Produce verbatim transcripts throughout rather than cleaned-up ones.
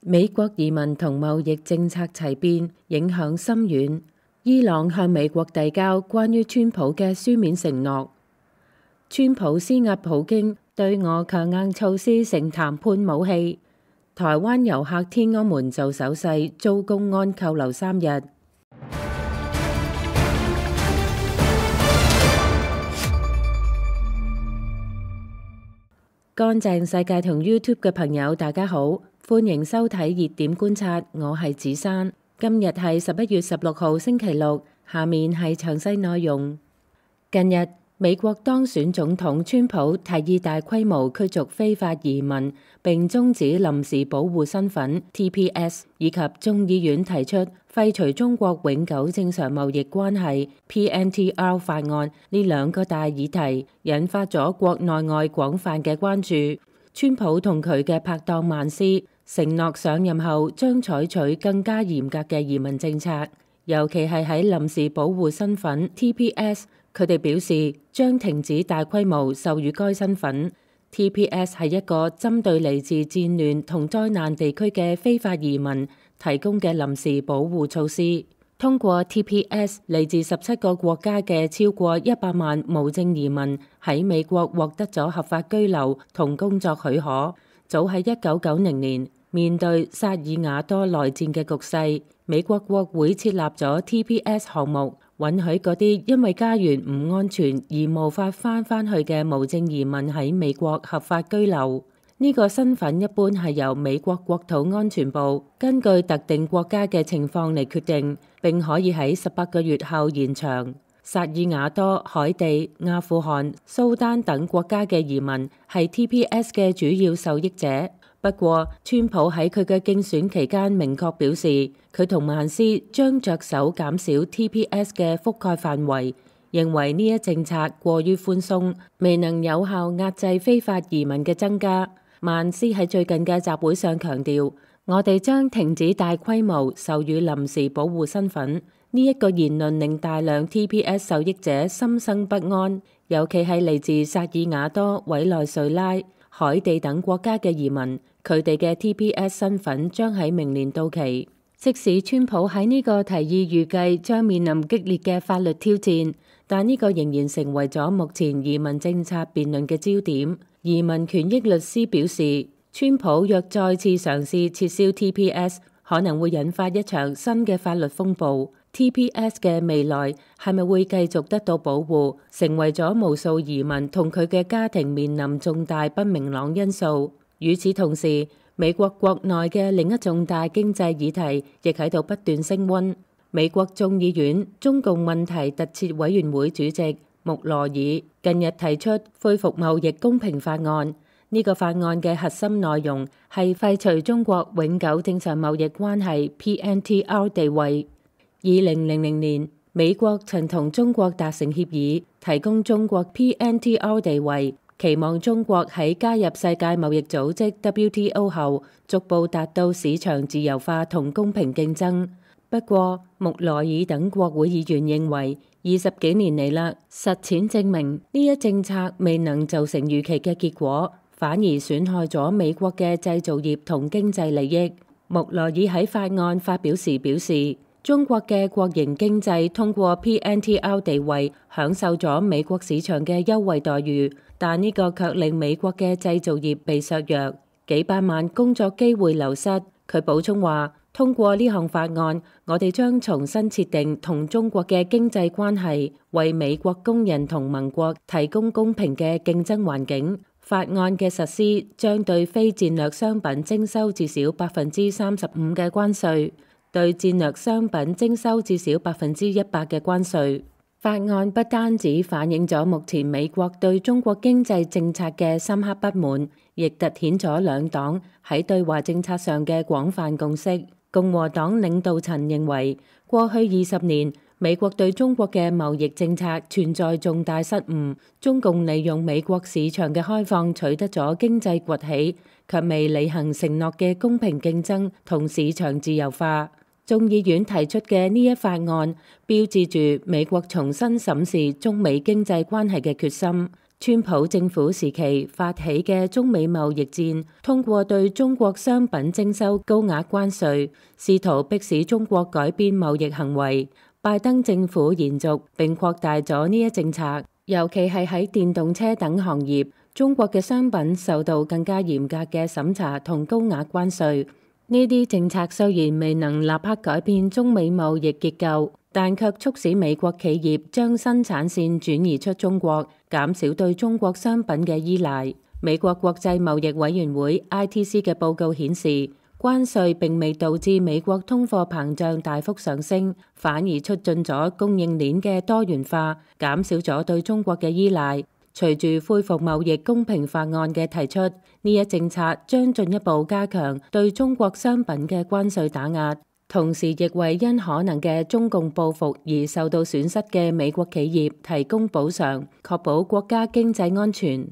美國移民同貿易政策齊變，影響深遠。伊朗向美國遞交關於川普嘅書面承諾。川普施壓普京對俄強硬措施成談判武器。台灣遊客天安門做手勢遭公安扣留三日。乾淨世界同 YouTube 嘅朋友大家好，歡迎收睇熱點觀察，我係子珊。今日係十一月十六號星期六，下面係詳細內容。近日美國當選總統川普提議大規模驅逐非法移民，並終止臨時保護身份 T P S， 以及眾議院提出廢除中國永久正常貿易關係 P N T R 法案呢兩個大議題，引發咗國內外廣泛嘅關注。川普同佢嘅拍檔曼斯承諾上任後將採取更加嚴格嘅移民政策，尤其係喺臨時保護身份 T P S。佢哋表示將停止大規模授予該身份。T P S 係一個針對嚟自戰亂同災難地區嘅非法移民提供嘅臨時保護措施。通過 T P S， 嚟自十七個國家嘅超過一百萬無證移民喺美國獲得咗合法居留同工作許可。早喺一九九零年，面對薩爾瓦多內戰嘅局勢，美國國會設立咗 T P S 項目，允許嗰啲因為家園唔安全而無法返返去嘅無證移民喺美國合法居留。呢個身份一般係由美國國土安全部根據特定國家嘅情況嚟決定，並可以喺十八個月後延長。薩爾瓦多、海地、阿富汗、蘇丹等國家嘅移民係 T P S 嘅主要受益者。不過，川普喺佢嘅競選期間明確表示，佢同曼斯將着手減少 T P S 嘅覆蓋範圍，認為呢一政策過於寬鬆，未能有效壓制非法移民嘅增加。曼斯喺最近嘅集會上強調，我哋將停止大規模授予臨時保護身份。呢一個言論令大量 T P S 受益者心生不安，尤其係嚟自薩爾瓦多、委內瑞拉、海地等國家嘅移民。佢哋嘅 T P S 身份將喺明年到期。即使川普喺呢個提議預計將面臨激烈嘅法律挑戰，但呢個仍然成為咗目前移民政策辯論嘅焦點。移民權益律師表示，川普若再次嘗試撤銷 T P S， 可能會引發一場新嘅法律風暴。T P S 嘅未來係咪會繼續得到保護，成為咗無數移民同佢嘅家庭面臨重大不明朗因素。與此同時，美國國內嘅另一重大經濟議題亦喺度不斷升溫。美國眾議院中共問題特設委員會主席穆羅爾近日提出恢復貿易公平法案。呢個法案嘅核心內容係廢除中國永久正常貿易關係 P N T R 地位。二零零零年，美國曾同中國達成協議，提供中國 P N T R 地位。期望中國喺加入世界貿易組織 W T O 後，逐步達到市場自由化同公平競爭。不過，穆羅爾等國會議員認為，二十幾年嚟啦，實踐證明呢一政策未能造成預期嘅結果，反而損害咗美國嘅製造業同經濟利益。穆羅爾喺法案發表時表示，中國嘅國營經濟通過 P N T R 地位享受咗美國市場嘅優惠待遇，但呢個卻令美國嘅製造業被削弱，幾百萬工作機會流失。佢補充話，通過呢項法案，我哋將重新設定同中國嘅經濟關係，為美國工人同盟國提供公平嘅競爭環境。法案嘅實施將對非戰略商品徵收至少百分之三十五嘅關稅，對戰略商品徵收至少百分之一百嘅關稅。法案不單止反映咗目前美國對中國經濟政策嘅深刻不滿，亦凸顯咗兩黨喺對華政策上嘅廣泛共識。共和黨領導層認為，過去二十年美國對中國嘅貿易政策存在重大失誤，中共利用美國市場嘅開放取得咗經濟崛起，卻未履行承諾嘅公平競爭同市場自由化。眾議院提出嘅呢一法案，標誌住美國重新審視中美經濟關係嘅決心。川普政府時期發起嘅中美貿易戰，通過對中國商品徵收高額關稅，試圖迫使中國改變貿易行為。拜登政府延續並擴大咗呢一政策，尤其係喺電動車等行業，中國嘅商品受到更加嚴格嘅審查同高額關稅。呢啲政策雖然未能立刻改變中美貿易結構，但卻促使美國企業將生產線轉移出中國，減少對中國商品嘅依賴。美國國際貿易委員會 I T C 嘅報告顯示，關稅並未導致美國通貨膨脹大幅上升，反而促進咗供應鏈嘅多元化，減少咗對中國嘅依賴。隨住恢復貿易公平法案嘅提出，呢一政策將進一步加強對中國商品嘅關稅打壓，同時亦為因可能嘅中共報復而受到損失嘅美國企業提供補償，確保國家經濟安全。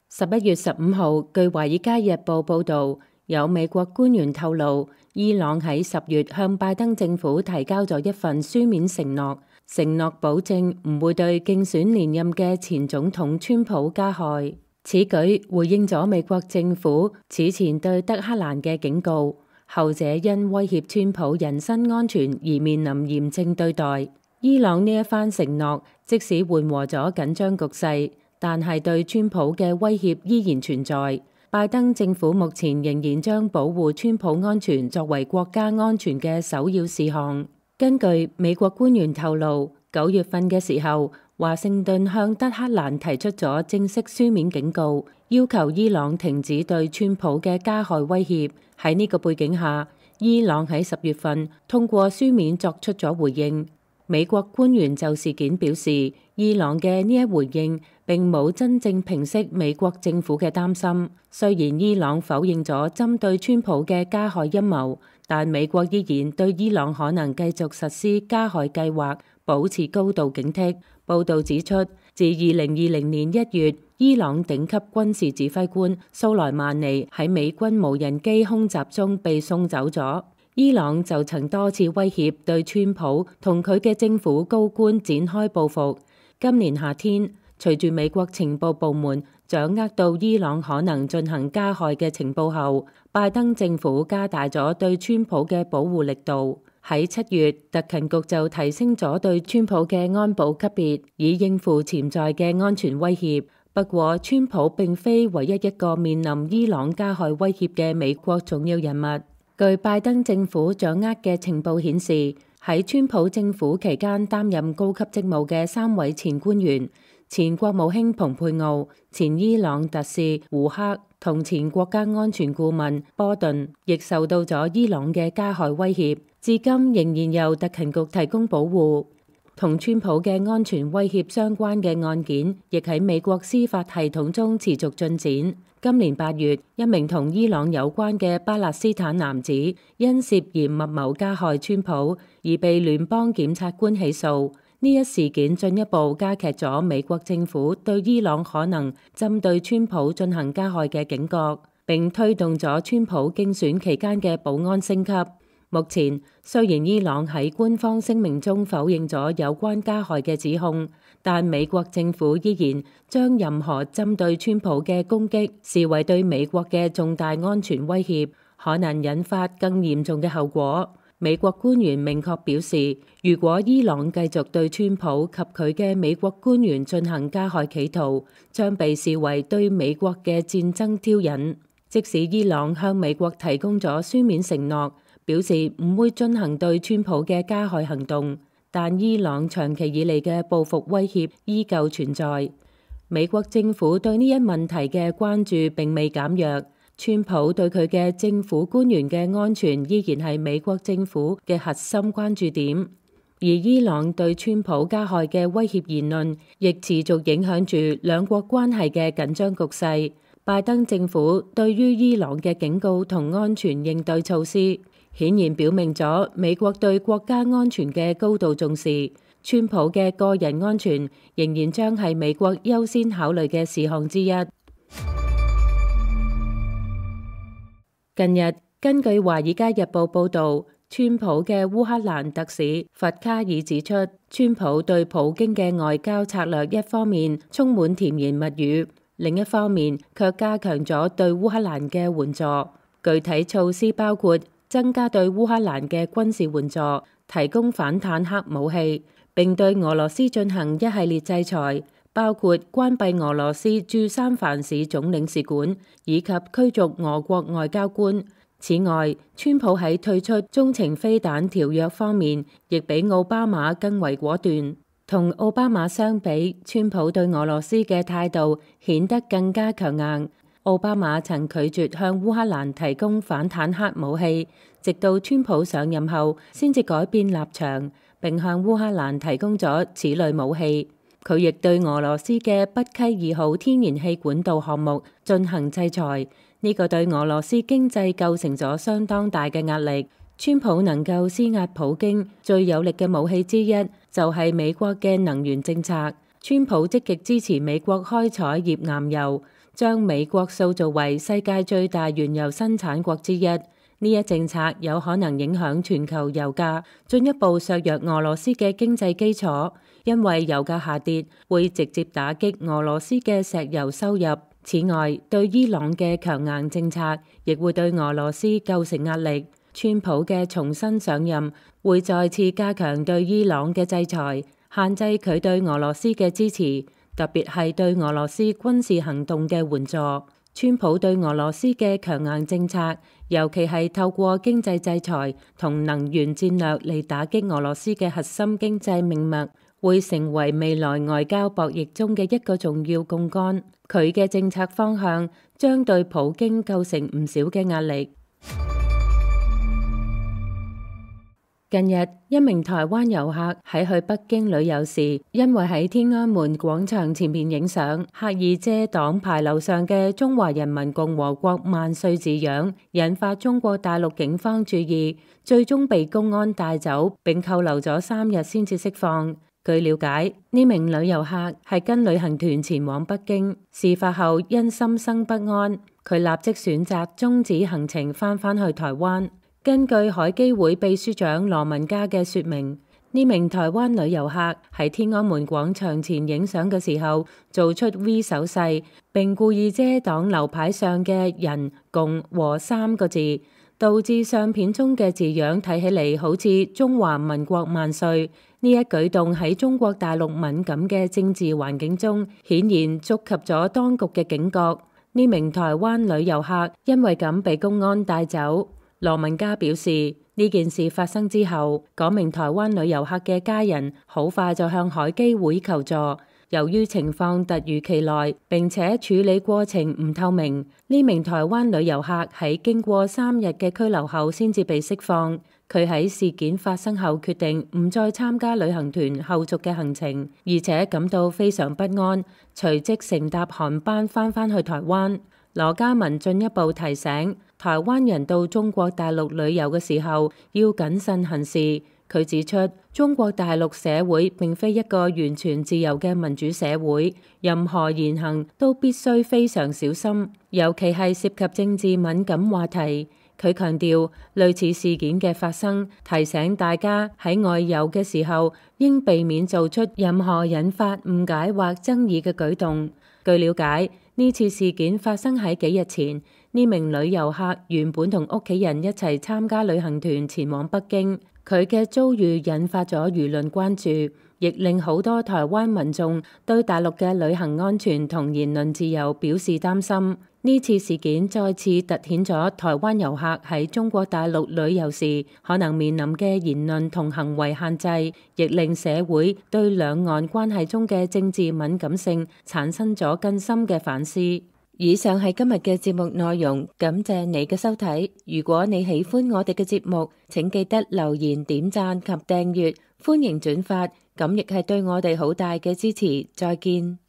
十一月十五號，據《華爾街日報》報導，有美國官員透露，伊朗喺十月向拜登政府提交咗一份書面承諾。承諾保證唔會對競選連任嘅前總統川普加害。此舉回應咗美國政府此前對德黑蘭嘅警告，後者因威脅川普人身安全而面臨嚴正對待。伊朗呢一番承諾即使緩和咗緊張局勢，但係對川普嘅威脅依然存在。拜登政府目前仍然將保護川普安全作為國家安全嘅首要事項。根據美國官員透露，九月份嘅時候，華盛頓向德黑蘭提出咗正式書面警告，要求伊朗停止對川普嘅加害威脅。喺呢個背景下，伊朗喺十月份通過書面作出咗回應。美國官員就事件表示，伊朗嘅呢一回應並冇真正平息美國政府嘅擔心。雖然伊朗否認咗針對川普嘅加害陰謀，但美國依然對伊朗可能繼續實施加害計劃保持高度警惕。報導指出，自二零二零年一月，伊朗頂級軍事指揮官蘇萊曼尼喺美軍無人機空襲中被送走咗。伊朗就曾多次威脅對川普同佢嘅政府高官展開報復。今年夏天，隨住美國情報部門掌握到伊朗可能進行加害嘅情報後，拜登政府加大咗對川普嘅保護力度。喺七月，特勤局就提升咗對川普嘅安保級別，以應付潛在嘅安全威脅。不過，川普並非唯一一個面臨伊朗加害威脅嘅美國重要人物。據拜登政府掌握嘅情報顯示，喺川普政府期間擔任高級職務嘅三位前官員，前國務卿蓬佩奧、前伊朗特使胡克同前國家安全顧問波頓，亦受到咗伊朗嘅加害威脅，至今仍然由特勤局提供保護。同川普嘅安全威脅相關嘅案件，亦喺美國司法系統中持續進展。今年八月，一名同伊朗有關嘅巴勒斯坦男子因涉嫌密謀加害川普而被聯邦檢察官起訴。呢一事件進一步加劇咗美國政府對伊朗可能針對川普進行加害嘅警覺，並推動咗川普競選期間嘅保安升級。目前，雖然伊朗喺官方聲明中否認咗有關加害嘅指控，但美國政府依然將任何針對川普嘅攻擊視為對美國嘅重大安全威脅，可能引發更嚴重嘅後果。美國官員明確表示，如果伊朗繼續對川普及佢嘅美國官員進行加害企圖，將被視為對美國嘅戰爭挑釁。即使伊朗向美國提供咗書面承諾，表示唔會進行對川普嘅加害行動，但伊朗長期以嚟嘅報復威脅依舊存在。美國政府對呢一問題嘅關注並未減弱，川普對佢嘅政府官員嘅安全依然係美國政府嘅核心關注點，而伊朗對川普加害嘅威脅言論亦持續影響住兩國關係嘅緊張局勢。拜登政府對於伊朗嘅警告同安全應對措施，顯然表明咗美國對國家安全嘅高度重視。川普嘅個人安全仍然將係美國優先考慮嘅事項之一。近日，根據《華爾街日報》報導，川普嘅烏克蘭特使弗卡爾指出，川普對普京嘅外交策略一方面充滿甜言蜜語，另一方面卻加強咗對烏克蘭嘅援助。具體措施包括增加對烏克蘭嘅軍事援助，提供反坦克武器，並對俄羅斯進行一系列制裁，包括關閉俄羅斯駐三藩市總領事館以及驅逐俄國外交官。此外，川普喺退出中程飛彈條約方面，亦比奧巴馬更為果斷。同奧巴馬相比，川普對俄羅斯嘅態度顯得更加強硬。奧巴馬曾拒絕向烏克蘭提供反坦克武器，直到川普上任後先至改變立場，並向烏克蘭提供咗此類武器。佢亦對俄羅斯嘅北溪二號天然氣管道項目進行制裁。呢個對俄羅斯經濟構成咗相當大嘅壓力。川普能夠施壓普京最有力嘅武器之一，就係美國嘅能源政策。川普積極支持美國開採頁岩油，將美國塑造為世界最大原油生產國之一。呢一政策有可能影響全球油價，進一步削弱俄羅斯嘅經濟基礎，因為油價下跌會直接打擊俄羅斯嘅石油收入。此外，對伊朗嘅強硬政策亦會對俄羅斯構成壓力。川普嘅重新上任會再次加強對伊朗嘅制裁，限制佢對俄羅斯嘅支持，特別係對俄羅斯軍事行動嘅援助。川普對俄羅斯嘅強硬政策，尤其係透過經濟制裁同能源戰略嚟打擊俄羅斯嘅核心經濟命脈，會成為未來外交博弈中嘅一個重要槓桿。佢嘅政策方向將對普京構成唔少嘅壓力。近日，一名台灣遊客喺去北京旅遊時，因為喺天安門廣場前面影相，刻意遮擋牌樓上嘅中華人民共和國萬歲字樣，引發中國大陸警方注意，最終被公安帶走並扣留咗三日先至釋放。據了解，呢名女遊客係跟旅行團前往北京，事發後因心生不安，佢立即選擇終止行程，翻返去台灣。根據海基會秘書長羅文嘉嘅說明，呢名台灣女遊客喺天安門廣場前影相嘅時候，做出 V 手勢，並故意遮擋流牌上嘅人共和三個字，導致相片中嘅字樣睇起嚟好似中華民國萬歲。呢一舉動喺中國大陸敏感嘅政治環境中，顯然觸及咗當局嘅警覺。呢名台灣女遊客因為咁被公安帶走。羅文嘉表示，呢件事發生之後，嗰名台灣女遊客嘅家人好快就向海基會求助。由於情況突如其來，並且處理過程唔透明，呢名台灣女遊客喺經過三日嘅拘留後先至被釋放。佢喺事件發生後決定唔再參加旅行團後續嘅行程，而且感到非常不安，隨即乘搭航班翻返去台灣。羅嘉文進一步提醒台灣人到中國大陸旅遊嘅時候要謹慎行事。佢指出，中國大陸社會並非一個完全自由嘅民主社會，任何言行都必須非常小心，尤其係涉及政治敏感話題。佢強調，類似事件嘅發生，提醒大家喺外遊嘅時候應避免做出任何引發誤解或爭議嘅舉動。據了解，呢次事件發生喺幾日前，呢名女遊客原本同屋企人一齊參加旅行團前往北京。佢嘅遭遇引發咗輿論關注，亦令好多台灣民眾對大陸嘅旅行安全同言論自由表示擔心。呢次事件再次凸顯咗台灣遊客喺中國大陸旅遊時可能面臨嘅言論同行為限制，亦令社會對兩岸關係中嘅政治敏感性產生咗更深嘅反思。以上係今日嘅節目內容，感謝你嘅收睇。如果你喜歡我哋嘅節目，請記得留言、點讚及訂閱，歡迎轉發，咁亦係對我哋好大嘅支持。再見。